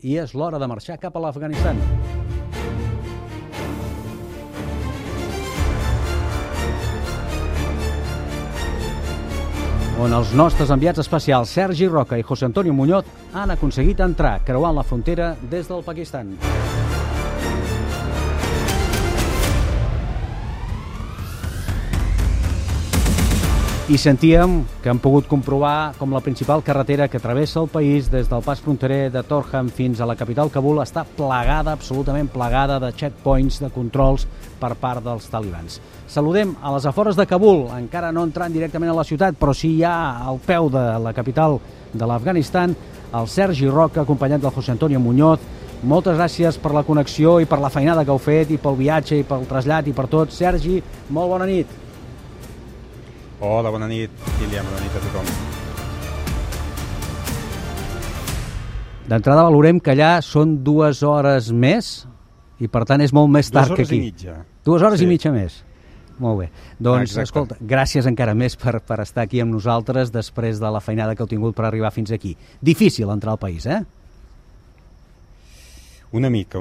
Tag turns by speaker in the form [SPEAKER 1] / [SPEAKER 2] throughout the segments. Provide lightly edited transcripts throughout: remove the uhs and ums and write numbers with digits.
[SPEAKER 1] I és l'hora de marxar cap a l'Afganistan. On els nostres enviats especials Sergi Roca i José Antonio Muñoz han aconseguit entrar creuant la frontera des del Pakistan. I sentíem que hem pogut comprovar com la principal carretera que travessa el país des del pas fronterer de Torkham fins a la capital Kabul està plagada, absolutament plagada de checkpoints, de controls per part dels talibans. Saludem a les afores de Kabul, encara no entrant directament a la ciutat, però sí ja al peu de la capital de l'Afganistan, el Sergi Roca, acompanyat del José Antonio Muñoz. Moltes gràcies per la connexió i per la feinada que heu fet, i pel viatge, i pel trasllat, i per tot. Sergi, molt bona nit.
[SPEAKER 2] Hola, bona nit, Kilian, bona nit a tothom.
[SPEAKER 1] D'entrada valorem que allà són 2 hores més i per tant és molt més tard que aquí.
[SPEAKER 2] 2 hores i mitja.
[SPEAKER 1] 2 hores i mitja més. Molt bé. Doncs,
[SPEAKER 2] exacte.
[SPEAKER 1] Escolta, gràcies encara més per estar aquí amb nosaltres després de la feinada que heu tingut per arribar fins aquí. Difícil entrar al país, eh?
[SPEAKER 2] Una mica.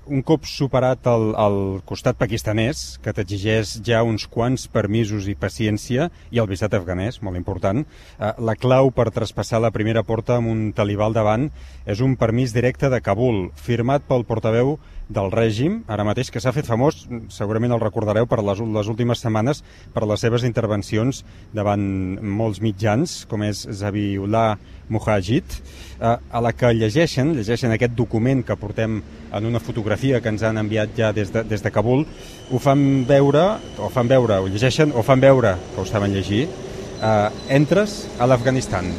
[SPEAKER 2] Un cop superat el costat pakistanès, que t'exigeix ja uns quants permisos i paciència, i el visat afganès, molt important, la clau per traspassar la primera porta amb un talibà al davant és un permís directe de Kabul, firmat pel portaveu del règim, ara mateix, que s'ha fet famós, segurament el recordareu per les últimes setmanes, per les seves intervencions davant molts mitjans, com és Zabiullah Mujahid, a la que llegeixen aquest document que portem en una fotografia que ens han enviat ja des de Kabul, ho llegeixen o fan veure que ho saben llegir. Entres a l'Afganistan.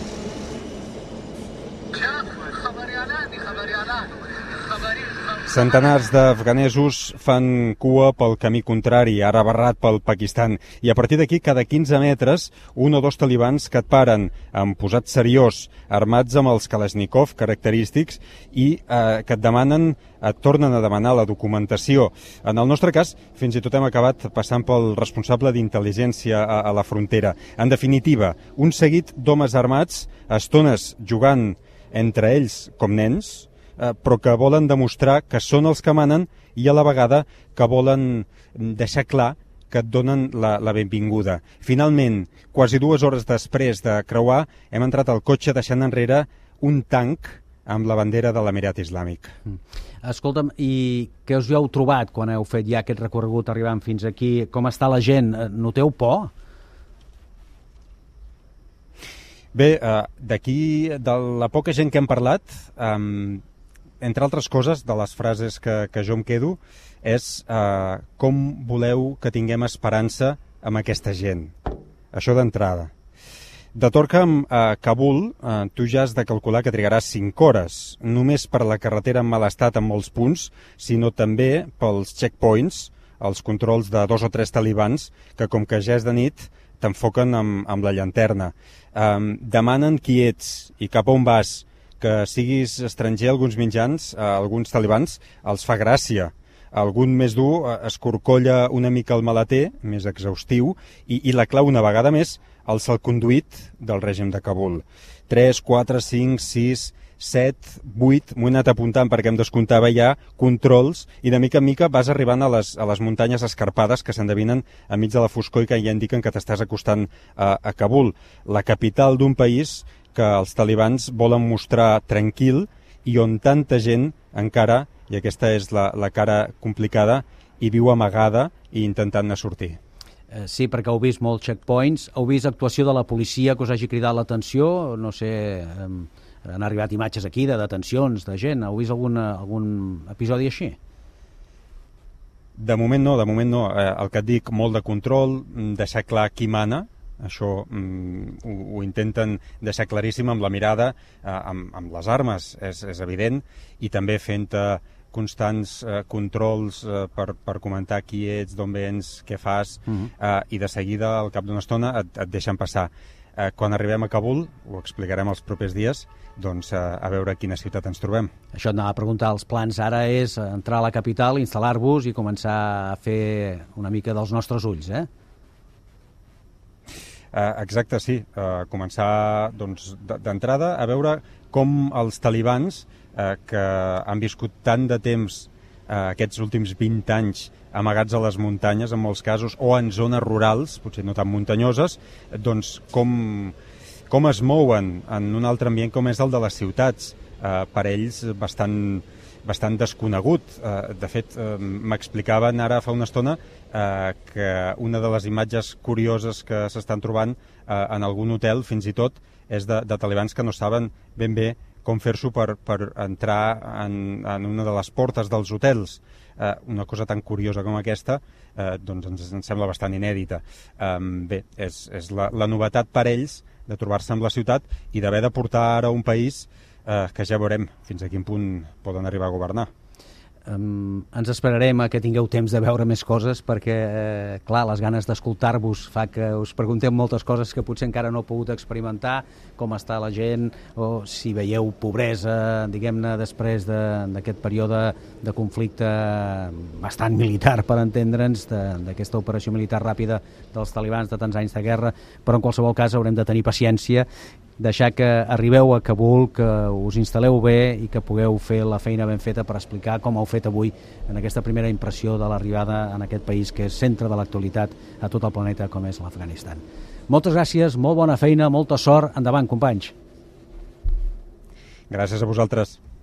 [SPEAKER 2] Centenars d'afganesos fan cua pel camí contrari, ara barrat pel Pakistan, i a partir d'aquí, cada 15 metres, 1 o 2 talibans que et paren amb posat seriós, armats amb els Kalashnikov característics, i que et tornen a demanar la documentació. En el nostre cas, fins i tot hem acabat passant pel responsable d'intel·ligència a la frontera. En definitiva, un seguit d'homes armats, a estones jugant entre ells com nens, però que volen demostrar que són els que manen i a la vegada que volen deixar clar que et donen la benvinguda. Finalment, quasi 2 hores després de creuar, hem entrat al cotxe deixant enrere un tanc amb la bandera de l'Emirat Islàmic.
[SPEAKER 1] Escolta'm, i què us hi heu trobat quan heu fet ja aquest recorregut arribant fins aquí? Com està la gent? Noteu por?
[SPEAKER 2] Bé, d'aquí, de la poca gent que hem parlat, entre altres coses, de les frases que jo em quedo, és com voleu que tinguem esperança amb aquesta gent. Això d'entrada. De Torkham a Kabul, tu ja has de calcular que trigaràs 5 hores, només per la carretera en mal estat en molts punts, sinó també pels checkpoints, els controls de 2 o 3 talibans, que com que ja és de nit, t'enfoquen amb la llanterna. Demanen qui ets i cap a on vas. Que siguis estranger, alguns mitjans, alguns talibans, els fa gràcia. Algun més dur escorcolla una mica el maleter, més exhaustiu, i la clau una vegada més el salconduit del règim de Kabul. 3, 4, 5, 6, 7, 8, m'ho he anat apuntant perquè em descomptava ja controls, i de mica en mica vas arribant a les muntanyes escarpades que s'endevinen enmig de la foscor i que ja indiquen que t'estàs acostant a Kabul, la capital d'un país que els talibans volen mostrar tranquil i on tanta gent encara, i aquesta és la cara complicada, hi viu amagada i intentant-ne sortir.
[SPEAKER 1] Sí, perquè heu vist molts checkpoints, heu vist actuació de la policia que us hagi cridat l'atenció, no sé, han arribat imatges aquí de detencions de gent, heu vist algun episodi així?
[SPEAKER 2] De moment no. El que et dic, molt de control, deixar clar qui mana. Això ho intenten deixar claríssim amb la mirada, amb les armes, és evident, i també fent constants controls per comentar qui ets, d'on vens, què fas, i de seguida, al cap d'una estona, et deixen passar. Quan arribem a Kabul, ho explicarem els propers dies, doncs a veure a quina ciutat ens trobem.
[SPEAKER 1] Això et anava a preguntar, els plans ara és entrar a la capital, instal·lar-vos i començar a fer una mica dels nostres ulls, eh?
[SPEAKER 2] Exacte, sí. Començar d'entrada a veure com els talibans que han viscut tant de temps aquests últims 20 anys amagats a les muntanyes, en molts casos, o en zones rurals, potser no tan muntanyoses, doncs com es mouen en un altre ambient com és el de les ciutats, per ells bastant desconegut. De fet, m'explicaven ara fa una estona que una de les imatges curioses que s'estan trobant en algun hotel, fins i tot, és de talibans que no saben ben bé com fer-s'ho per entrar en una de les portes dels hotels. Una cosa tan curiosa com aquesta doncs ens sembla bastant inèdita. Bé, és la novetat per ells de trobar-se en la ciutat i d'haver de portar ara un país que ja veurem fins a quin punt poden arribar a governar.
[SPEAKER 1] Ens esperarem a que tingueu temps de veure més coses perquè, clar, les ganes d'escoltar-vos fa que us preguntem moltes coses que potser encara no heu pogut experimentar, com està la gent o si veieu pobresa, diguem-ne, després d'aquest període de conflicte bastant militar, per entendre'ns, d'aquesta operació militar ràpida dels talibans de tants anys de guerra, però en qualsevol cas haurem de tenir paciència, deixar que arribeu a Kabul, que us instal·leu bé i que pugueu fer la feina ben feta per explicar com heu fet avui en aquesta primera impressió de l'arribada en aquest país que és centre de l'actualitat a tot el planeta com és l'Afganistan. Moltes gràcies, molt bona feina, molta sort, endavant, companys.
[SPEAKER 2] Gràcies a vosaltres.